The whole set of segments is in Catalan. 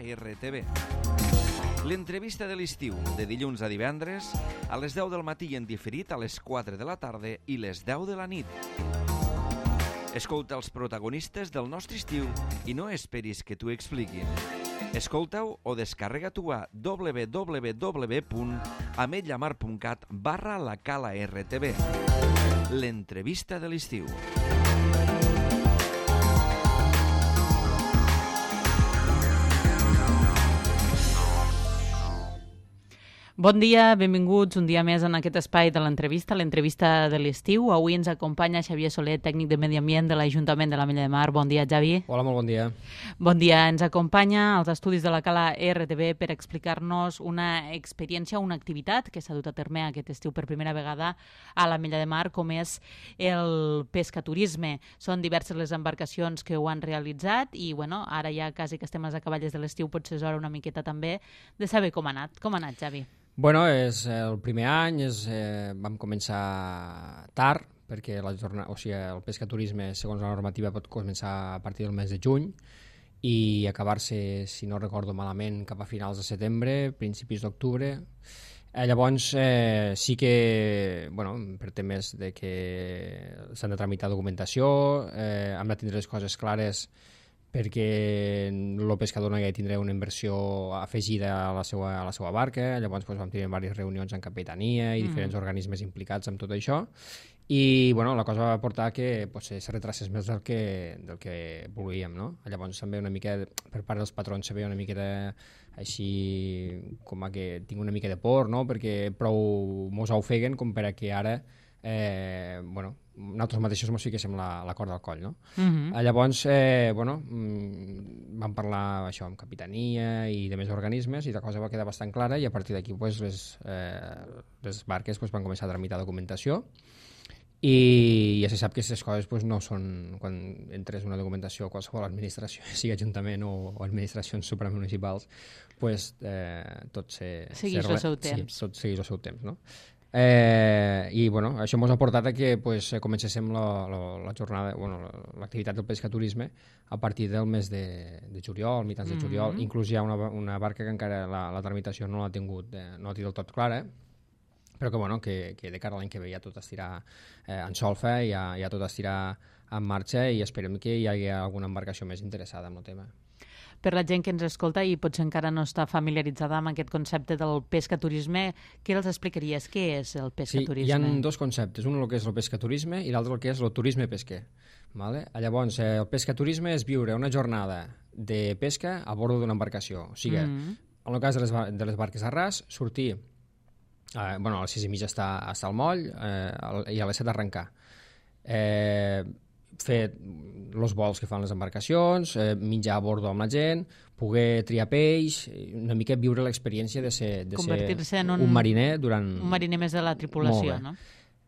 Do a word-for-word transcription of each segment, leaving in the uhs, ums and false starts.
Cala R T V. L'entrevista de l'estiu, de dilluns a divendres, a les deu del matí i en diferit a les quatre de la tarda i les deu de la nit. Escolta els protagonistes del nostre estiu i no esperis que t'ho expliquin. Escolta-ho o descarrega-t'ho a w w w punt ametlllamar punt cat barra la Cala R T V. L'entrevista de l'estiu. Bon dia, benvinguts un dia més en aquest espai de l'entrevista, l'entrevista de l'estiu. Avui ens acompanya Xavier Soler, tècnic de Medi Ambient de l'Ajuntament de l'Ametlla de Mar. Bon dia, Xavi. Hola, molt bon dia. Bon dia. Ens acompanya als estudis de la Cala R T V per explicar-nos una experiència, una activitat que s'ha dut a terme aquest estiu per primera vegada a l'Ametlla de Mar, com és el pescaturisme. Són diverses les embarcacions que ho han realitzat i, bueno, ara ja quasi que estem a les acaballes de l'estiu, potser és hora una miqueta també de saber com ha anat. Com ha anat, Xavi? Bueno, és el primer any, és, eh, vam començar tard, perquè la jornada, o sigui, el pescaturisme, segons la normativa, pot començar a partir del mes de juny i acabar-se, si no recordo malament, cap a finals de setembre, principis d'octubre. Eh, llavors, eh, sí que, bueno, per temes de que s'han de tramitar documentació, eh, hem de tindre les coses clares perquè el pescador no hi ha de tindre una inversió afegida a la seva, a la seva barca. Llavors doncs, vam tenir diverses reunions en capitania i diferents mm. organismes implicats amb tot això i bueno, la cosa va portar que potser se retracés més del que, del que volíem, no? Llavors també una mica, per part dels patrons se veia una miqueta així com a que tinc una mica de por, no? Perquè prou mos ofeguen com per a que ara eh, bueno, nosaltres mateixos mos fiquéssim la, la corda al coll, no? Uh-huh. Llavors, eh, bueno, vam parlar això amb capitania i de més organismes i la cosa va quedar bastant clara i a partir d'aquí pues, les, eh, les barques pues, van començar a tramitar documentació i ja se sap que aquestes coses pues, no són, quan entres una documentació a qualsevol administració, sigui ajuntament o, o administracions supramunicipals, pues, eh, tot se... Segueix se, el seu temps. Sí, tot segueix el seu temps, no? Eh, i bueno, això ens ha portat a que pues, comencéssim la, la, la jornada, bueno, l'activitat del pescaturisme a partir del mes de, de juliol, mitjans de juliol. Mm-hmm. Inclús hi ha una, una barca que encara la, la tramitació no l'ha tingut, eh, no l'ha tingut del tot clara, però que, bueno, que, que de cara a l'any que ve ja tot estirà eh, en solfa, ja, ja tot estirà en marxa i esperem que hi hagi alguna embarcació més interessada en el tema. Per la gent que ens escolta i potser encara no està familiaritzada amb aquest concepte del pescaturisme, què els explicaries? Què és el pescaturisme? Sí, hi ha dos conceptes, un el que és el pescaturisme i l'altre el que és el turisme pesquer. Vale? Llavors, eh, el pescaturisme és viure una jornada de pesca a bord d'una embarcació. O sigui, mm. en el cas de les, de les barques a ras, sortir, eh, bueno, a les sis i mitja està, està al moll eh, i a les set arrencar. Eh, fer els vols que fan les embarcacions, eh, menjar a bordo amb la gent, poder triar peix, una mica viure l'experiència de ser, de ser en un, un mariner durant... Un mariner més de la tripulació, no?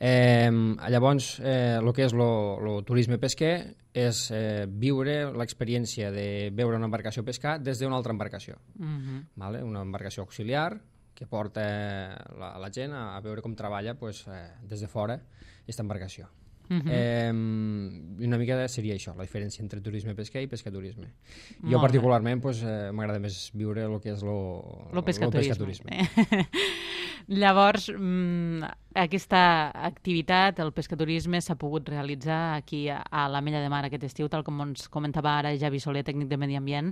Eh, llavors, eh, el que és el turisme pesquer és eh, viure l'experiència de veure una embarcació pescar des d'una altra embarcació. Uh-huh. Vale? Una embarcació auxiliar que porta la, la gent a, a veure com treballa pues, eh, des de fora aquesta embarcació. Uh-huh. eh, una mica seria això, la diferència entre turisme pesquer i pescaturisme. Jo particularment pues, eh, m'agrada més viure el que és el pescaturisme. Llavors, mmm, aquesta activitat, el pescaturisme, s'ha pogut realitzar aquí a, a l'Ametlla de Mar aquest estiu, tal com ens comentava ara Xavi Soler, tècnic de Medi Ambient.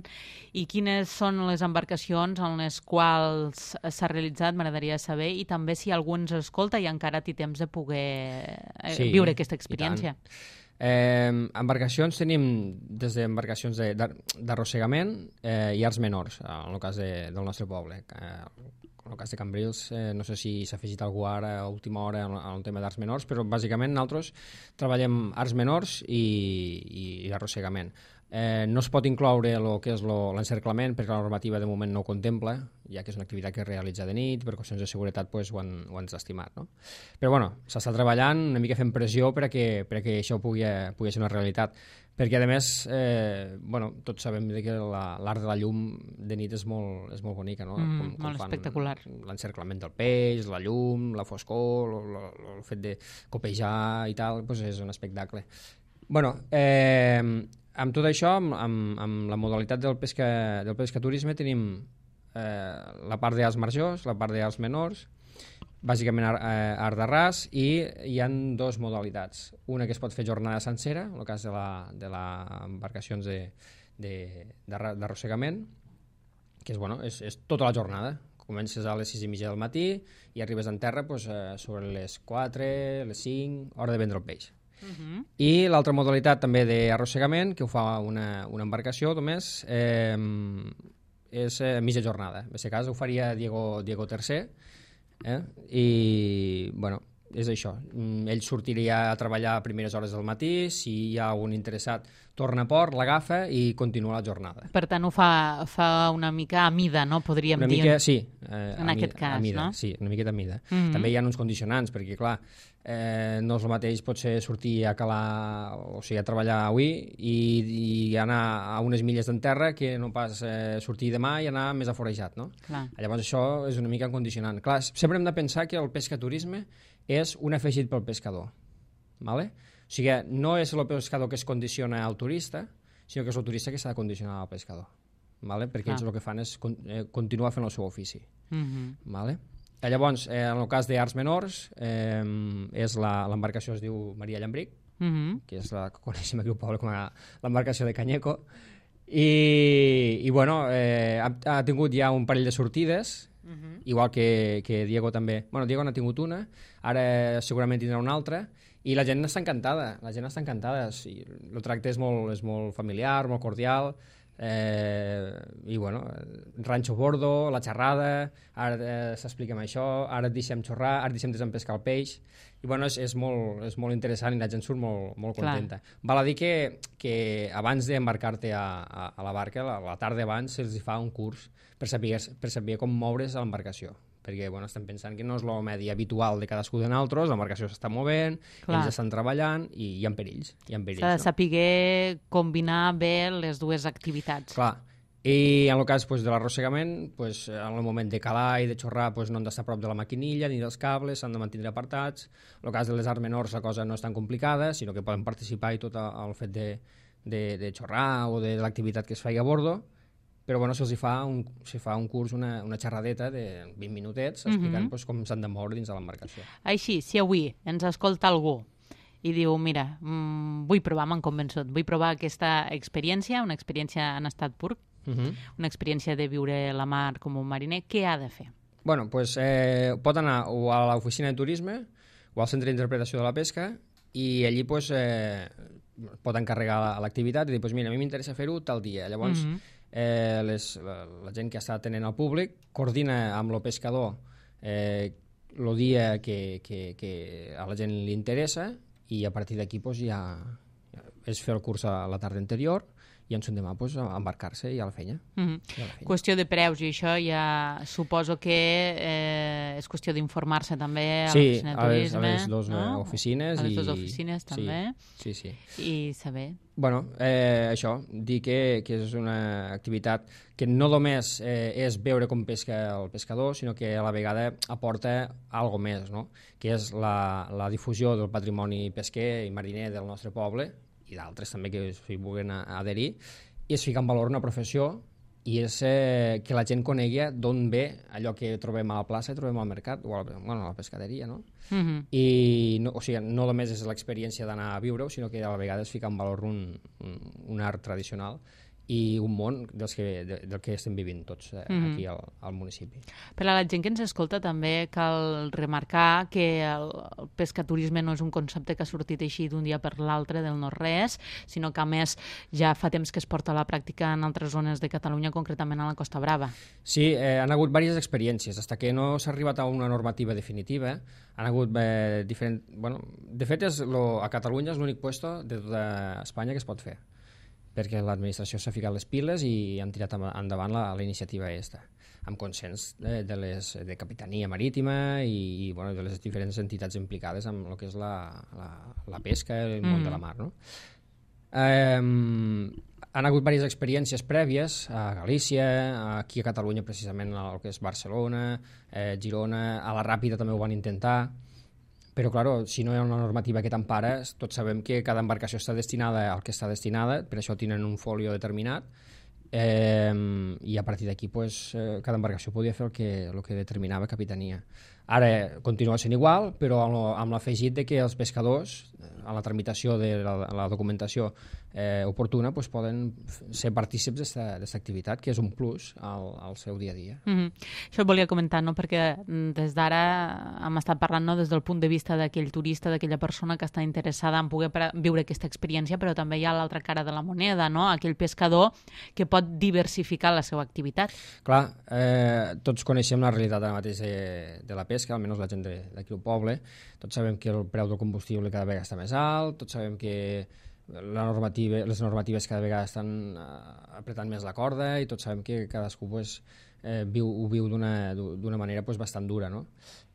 I quines són les embarcacions en les quals s'ha realitzat, m'agradaria saber, i també si algú ens escolta i encara té temps de poder eh, sí, viure aquesta experiència. Eh, embarcacions tenim des d'embarcacions d'arrossegament eh, i arts menors, en el cas de, del nostre poble. Eh, en el cas de Cambrils, eh, no sé si s'ha afegit algú ara a última hora en, en el tema d'arts menors, però bàsicament nosaltres treballem arts menors i, i, i arrossegament. Eh, no es pot incloure el que és l'encerclament perquè la normativa de moment no ho contempla, ja que és una activitat que es realitza de nit, per qüestions de seguretat pues, ho han, ho han estimat. No? Però bueno, s'està treballant, una mica fent pressió per a que, per a que això pugui, pugui ser una realitat. Perquè a més, eh, bueno, tots sabem que l'art de la llum de nit és molt, és molt bonica, no? Mm, com, com molt espectacular. L'encerclament del peix, la llum, la foscor, el, el fet de copejar i tal, pues és un espectacle. Bueno, eh, amb tot això, amb, amb, amb la modalitat del, pesca, del pescaturisme tenim eh, la part d'arts majors, la part d'arts menors, bàsicament art, eh, art de ras, i hi ha dues modalitats. Una que es pot fer jornada sencera, en el cas de les de la embarcacions de, de, d'arrossegament, que és, bueno, és, és tota la jornada. Comences a les sis i mitja del matí i arribes en terra pues, eh, sobre les quatre, les cinc, hora de vendre el peix. Uh-huh. I l'altra modalitat també d'arrossegament, que ho fa una, una embarcació només, eh, és eh, mitja jornada. En aquest cas ho faria Diego, Diego Tercer, eh? I bueno, és això. Ell sortiria a treballar a primeres hores del matí, si hi ha algun interessat torna a port, l'agafa i continua la jornada. Per tant, ho fa, fa una mica a mida, no? Podríem una dir. Mica, sí, eh, en aquest mida, cas, a mida, no? Sí, una miqueta a mida. Mm-hmm. També hi ha uns condicionants, perquè, clar, eh, no és el mateix potser sortir a calar, o sigui, a treballar avui i, i anar a unes milles d'enterra que no pas eh, sortir demà i anar més aforejat, no? Clar. Llavors això és una mica condicionant. Clar, sempre hem de pensar que el pescaturisme és un afegit pel pescador, ¿vale? O sigui, no és el pescador que es condiciona al turista, sinó que és el turista que s'ha de condicionar al pescador, ¿vale? Perquè ah. ells el que fan és con eh, continuar fent el seu ofici. Mm-hmm. ¿Vale? Llavors, eh, en el cas d'arts menors, eh, és l'embarcació es diu Maria Llambric, mm-hmm. que és la que coneixem aquí al poble com a l'embarcació de Canyeco, i, i bueno, eh, ha, ha tingut ja un parell de sortides, mm-hmm. igual que, que Diego també. Bueno, Diego n'ha tingut una, ara segurament tindrà una altra, i la gent està encantada, la gent està encantada. Sí, el tracte és molt, és molt familiar, molt cordial, eh, i bueno, ranxo bordo, la xerrada, ara eh, s'expliquem això, ara et deixem xorrar, ara et deixem desempescar el peix, i bueno, és, és, molt, és molt interessant i la gent surt molt, molt contenta. Clar. Val a dir que, que abans d'embarcar-te a, a, a la barca, la, la tarda abans, se'ls fa un curs per saber, per saber com moure's a l'embarcació, perquè bueno, estem pensant que no és el medi habitual de cadascú de nosaltres, l'embarcació s'està movent, Clar. ells estan treballant i hi ha perills. Hi ha perills, S'ha de no? saber combinar bé les dues activitats. Clar. I en el cas pues, de l'arrossegament, pues, en el moment de calar i de xorrar pues, no han d'estar a prop de la maquinilla ni dels cables, s'han de mantenir apartats. En el cas de les arts menors la cosa no és tan complicada, sinó que poden participar i tot el fet de, de, de xorrar o de l'activitat que es faci a bordo, però bueno, se'ls fa, un, se fa un curs, una, una xerradeta de vint minutets explicant mm-hmm. pues, com s'han de moure dins de l'embarcació. Així, si avui ens escolta algú i diu, mira, mmm, vull provar, m'han convençut, vull provar aquesta experiència, una experiència en estat pur, mm-hmm. una experiència de viure la mar com un mariner, què ha de fer? Bueno, pues, eh, pot anar o a l'oficina de turisme o al centre d'interpretació de la pesca i allí pues, eh, pot encarregar l'activitat i dir, pues, mira, a mi m'interessa fer-ho tal dia. Llavors, mm-hmm. Eh, les, la, la gent que està atenent al públic coordina amb el pescador eh, el dia que, que, que a la gent li interessa i a partir d'aquí pues, ja, ja és fer el curs a la tarda anterior i en son demà pues, embarcar-se i a la feina. Mm-hmm. I a la feina. Qüestió de preus i això ja suposo que eh, és qüestió d'informar-se també a sí, l'oficina de turisme. Sí, a les dues no? oficines. A les i... dues oficines també. Sí, sí, sí. I saber. Bueno, eh, això, dir que, que és una activitat que no només eh, és veure com pesca el pescador, sinó que a la vegada aporta algo més, no? Que és la, la difusió del patrimoni pesquer i mariner del nostre poble, i d'altres també que s'hi vulguin adherir, i es fica en valor una professió i és eh, que la gent conegui d'on ve allò que trobem a la plaça i trobem al mercat, o a la, bueno, a la pescaderia, no? Mm-hmm. I no, o sigui, no només és l'experiència d'anar a viure-ho, sinó que a la vegada es fica en valor un, un, un art tradicional i un món dels que, de, del que estem vivint tots eh, mm-hmm. aquí al, al municipi. Per a la gent que ens escolta també cal remarcar que el, el pescaturisme no és un concepte que ha sortit així d'un dia per l'altre del no-res, sinó que a més ja fa temps que es porta a la pràctica en altres zones de Catalunya, concretament a la Costa Brava. Sí, eh, han hagut diverses experiències, fins que no s'ha arribat a una normativa definitiva. Han hagut eh, diferent... Bueno, de fet, és lo, a Catalunya és l'únic puesto de tota Espanya que es pot fer, perquè l'administració s'ha ficat les piles i han tirat endavant la, la iniciativa aquesta, amb consens de, de, les, de Capitania Marítima i, i bueno, de les diferents entitats implicades amb el que és la, la, la pesca i el món mm. de la mar. No? Eh, han hagut diverses experiències prèvies a Galícia, aquí a Catalunya precisament, el que és Barcelona, eh, Girona, a la Ràpida també ho van intentar, però claro, si no hi ha una normativa que t'empara, tots sabem que cada embarcació està destinada al que està destinada, per això tenen un folio determinat, eh, i a partir d'aquí pues, eh, cada embarcació podia fer el que, el que determinava capitania. Ara continua sent igual, però amb l'afegit de que els pescadors, a la tramitació de la, la documentació eh, oportuna, pues, poden ser partícips d'aquesta activitat, que és un plus al, al seu dia a dia. Mm-hmm. Això ho volia comentar, no? Perquè des d'ara hem estat parlant, no? Des del punt de vista d'aquell turista, d'aquella persona que està interessada en poder viure aquesta experiència, però també hi ha l'altra cara de la moneda, no? Aquell pescador que pot diversificar la seva activitat. Clar, eh, tots coneixem la realitat ara mateix de, de la pesca, almenys la gent d'aquí al poble. Tots sabem que el preu del combustible cada vegada està més alt, tots sabem que la normativa, les normatives cada vegada estan uh, apretant més la corda i tots sabem que cadascú pues, eh, viu, ho viu d'una manera pues, bastant dura, no?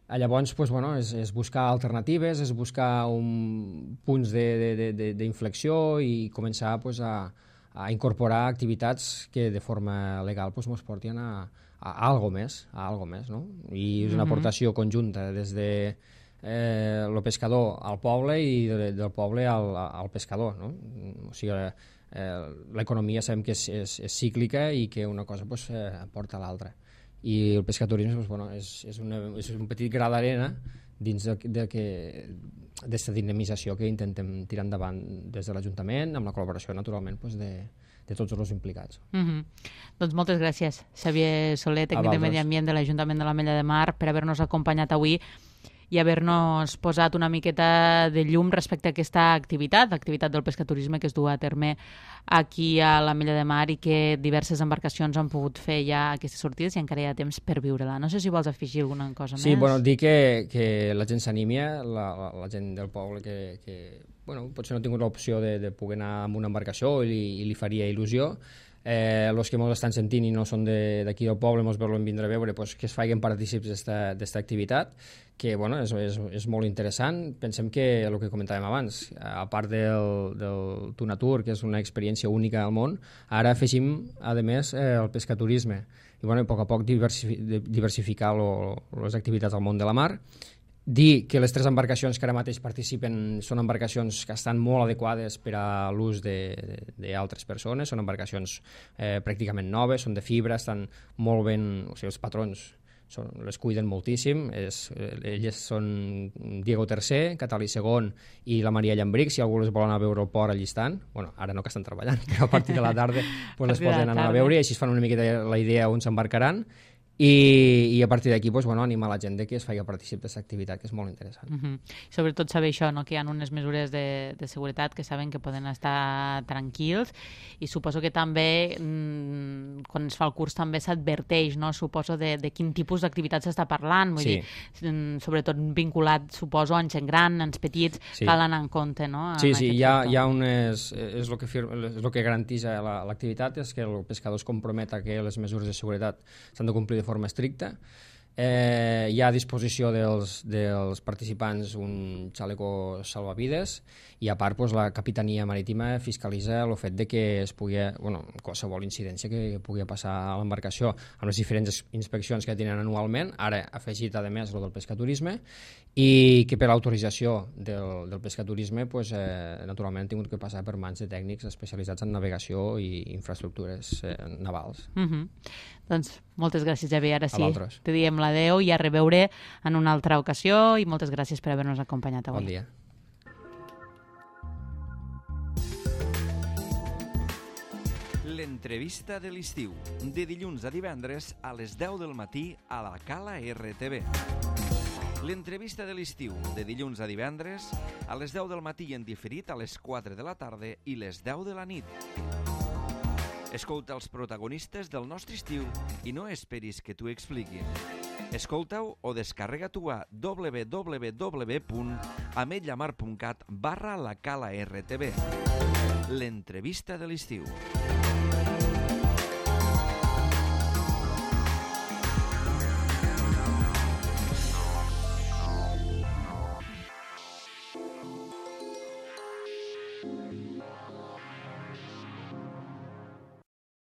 Llavors, pues, bueno, és, és buscar alternatives, és buscar un, punts d'inflexió i començar pues, a, a incorporar activitats que de forma legal pues, mos portin a, a, a algo més, a algo més, no? I és una mm-hmm. aportació conjunta des de eh, el pescador al poble i de, del poble al, al pescador, no? O sigui, eh, l'economia sabem que és, és, és cíclica i que una cosa pues, eh, porta a l'altra. I el pescaturisme pues, bueno, és, és, una, és un petit gra d'arena dins d'aquesta dinamització que intentem tirar endavant des de l'Ajuntament, amb la col·laboració, naturalment, pues, de, de tots els implicats. Mm-hmm. Doncs moltes gràcies, Xavier Soler, tècnic de Medi Ambient de l'Ajuntament de l'Ametlla de Mar, per haver-nos acompanyat avui i haver-nos posat una miqueta de llum respecte a aquesta activitat, l'activitat del pescaturisme que es du a terme aquí a l'Ametlla de Mar i que diverses embarcacions han pogut fer ja aquestes sortides i encara hi ha temps per viure-la. No sé si vols afegir alguna cosa sí, més. Sí, bueno, dir que, que la gent s'animi, la, la, la gent del poble que, que bueno, potser no ha tingut l'opció de, de poder anar amb una embarcació i li, i li faria il·lusió. Eh, els que ens estan sentint i no són d'aquí del poble, ens volen vindre a veure, pues, que es facin partícips d'aquesta activitat, que bueno, és, és, és molt interessant. Pensem que el que comentàvem abans, a part del, del Tunatur, que és una experiència única al món, ara afegim, a més, eh, el pescaturisme. I bueno, a poc a poc diversificar lo, les activitats al món de la mar. Dir que les tres embarcacions que ara mateix participen són embarcacions que estan molt adequades per a l'ús d'altres persones, són embarcacions eh, pràcticament noves, són de fibra, estan molt ben, o sigui, els patrons són, les cuiden moltíssim, és, elles són Diego tercer, Catalí segon i la Maria Llambric, si algú les vol anar a veure al port allí estan, bueno, ara no que estan treballant, però a partir de la tarda pues, les poden anar a veure i així es fan una miqueta la idea on s'embarcaran. I, i a partir d'aquí pues, bueno, animar la gent que es faci particip d'aquesta activitat, que és molt interessant. Mm-hmm. Sobretot saber això, no? Que hi ha unes mesures de, de seguretat que saben que poden estar tranquils i suposo que també mmm, quan es fa el curs també s'adverteix, no? Suposo de, de quin tipus d'activitat s'està parlant, vull sí. dir, sobretot vinculat, suposo, en gent gran, en petits, sí. cal anar en compte, no? Sí, sí, hi ha, hi ha unes... És el que, és el que garanteix l'activitat, és que el pescador es compromet a que les mesures de seguretat s'han de complir de forma estricta. Eh, hi ha a disposició dels, dels participants un xaleco salvavides i a part pues, la Capitania Marítima fiscalitza el fet de que es pugui, bueno, qualsevol incidència que pugui passar a l'embarcació amb les diferents inspeccions que tenen anualment, ara afegit a més el del pescaturisme, i que per l'autorització del, del pescaturisme pues, eh, naturalment han tingut que passar per mans de tècnics especialitzats en navegació i infraestructures eh, navals. Mm-hmm. Doncs moltes gràcies, Javier. Ara sí, te diem l'adeu i a reveure en una altra ocasió i moltes gràcies per haver-nos acompanyat avui. Bon dia. L'entrevista de l'estiu, de dilluns a divendres a les deu del matí a la Cala R T V. L'entrevista de l'estiu, de dilluns a divendres a les deu del matí en diferit a les quatre de la tarda i les deu de la nit. Escolta els protagonistes del nostre estiu i no esperis que t'ho expliquin. Escolta-ho o descarrega-t'ho a w w w punt ametlla mar punt cat barra la Cala R T V. L'entrevista de l'estiu.